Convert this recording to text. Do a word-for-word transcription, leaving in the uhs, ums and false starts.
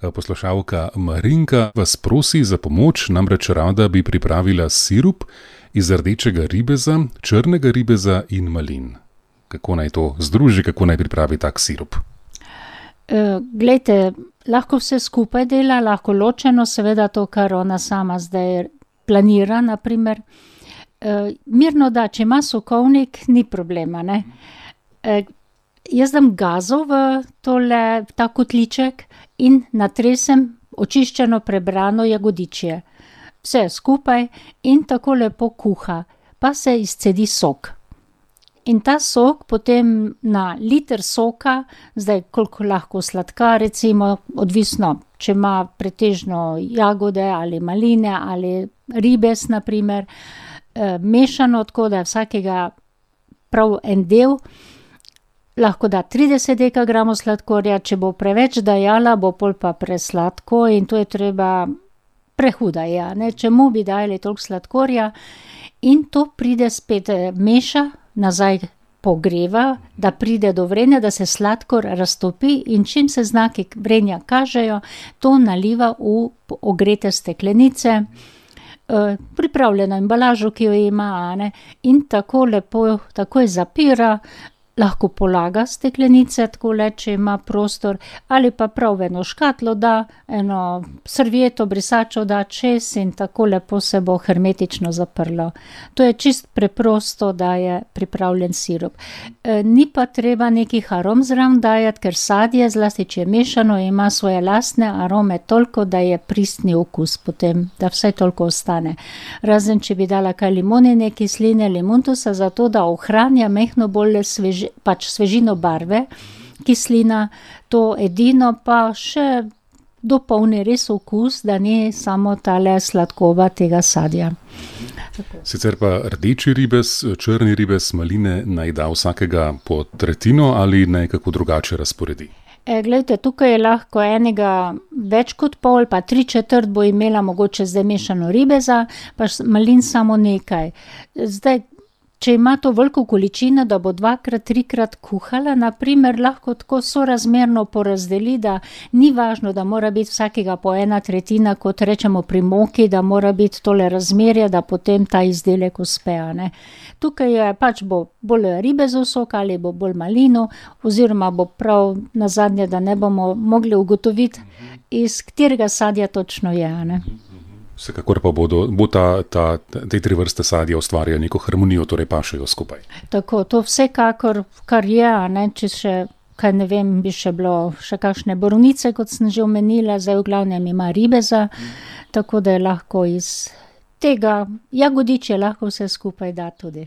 Poslušalka Marinka vas prosi za pomoč, namreč rada bi pripravila sirup iz rdečega ribeza, črnega ribeza in malin. Kako naj to združi, kako naj pripravi tak sirup? E, glejte, lahko vse skupaj dela, lahko ločeno, seveda to, kar ona sama zdaj planira, naprimer. E, mirno da, če ima sokovnik, ni problema, ne. E, jaz dam gazo v tole, v ta kotliček in natresem očiščeno prebrano jagodičje. Vse skupaj in tako lepo kuha, pa se izcedi sok. In ta sok potem na liter soka, zdaj koliko lahko sladka, recimo, odvisno, če ima pretežno jagode ali maline ali ribez, naprimer, eh, mešano, tako da vsakega prav en del, lahko da trideset dekagramov sladkorja, če bo preveč dajala, bo pol pa presladko in to je treba prehuda, ja, ne, čemu bi dajali toliko sladkorja in to pride spet, meša, nazaj pogreva, da pride do vrenja, da se sladkor raztopi in čim se znaki vrenja kažejo, to naliva v ogrete steklenice, eh, pripravljeno embalažo, ki jo ima, a ne, in tako lepo, takoj zapira, lahko polaga steklenice, tako le, če ima prostor, ali pa prav v eno škatlo da, eno servieto, brisačo da čez in tako lepo se bo hermetično zaprlo. To je čist preprosto, da je pripravljen sirup. E, ni pa treba nekih arom zraven dajati, ker sadje, zlasti če je mešano, ima svoje lastne arome toliko, da je pristni okus potem, da vse toliko ostane. Razen, če bi dala kaj limonine kisline, limontusa, zato da ohranja mehno bolj svež, pač svežino barve, kislina, to edino pa še dopolni res okus, da ni samo tale sladkoba tega sadja. Sicer pa rdeči ribez, črni ribez, maline naj da vsakega po tretjino ali naj kako drugače razporedi? E, glejte, tukaj je lahko enega več kot pol, pa tri četrt bo imela mogoče zdaj mešano ribeza, pa malin samo nekaj. Zdaj, če ima to veliko količino, da bo dvakrat, trikrat kuhala, naprimer, lahko tako sorazmerno porazdeli, da ni važno, da mora biti vsakega po ena tretjina, kot rečemo pri moki, da mora biti tole razmerje, da potem ta izdelek uspe, a ne. Tukaj je pač bo bolj ribezov sok ali bo bolj malino, oziroma bo prav nazadnje, da ne bomo mogli ugotoviti, iz katerega sadja točno je, a ne. Vsekakor pa bodo, bo ta, ta, te tri vrste sadja ustvarjajo neko harmonijo, torej pašejo skupaj. Tako, to vsekakor, kar je, a ne, če še, kaj ne vem, bi še bilo še kakšne borovnice, kot sem že omenila, zdaj v glavnem ima ribeza, tako da je lahko iz tega jagodičja lahko vse skupaj da tudi.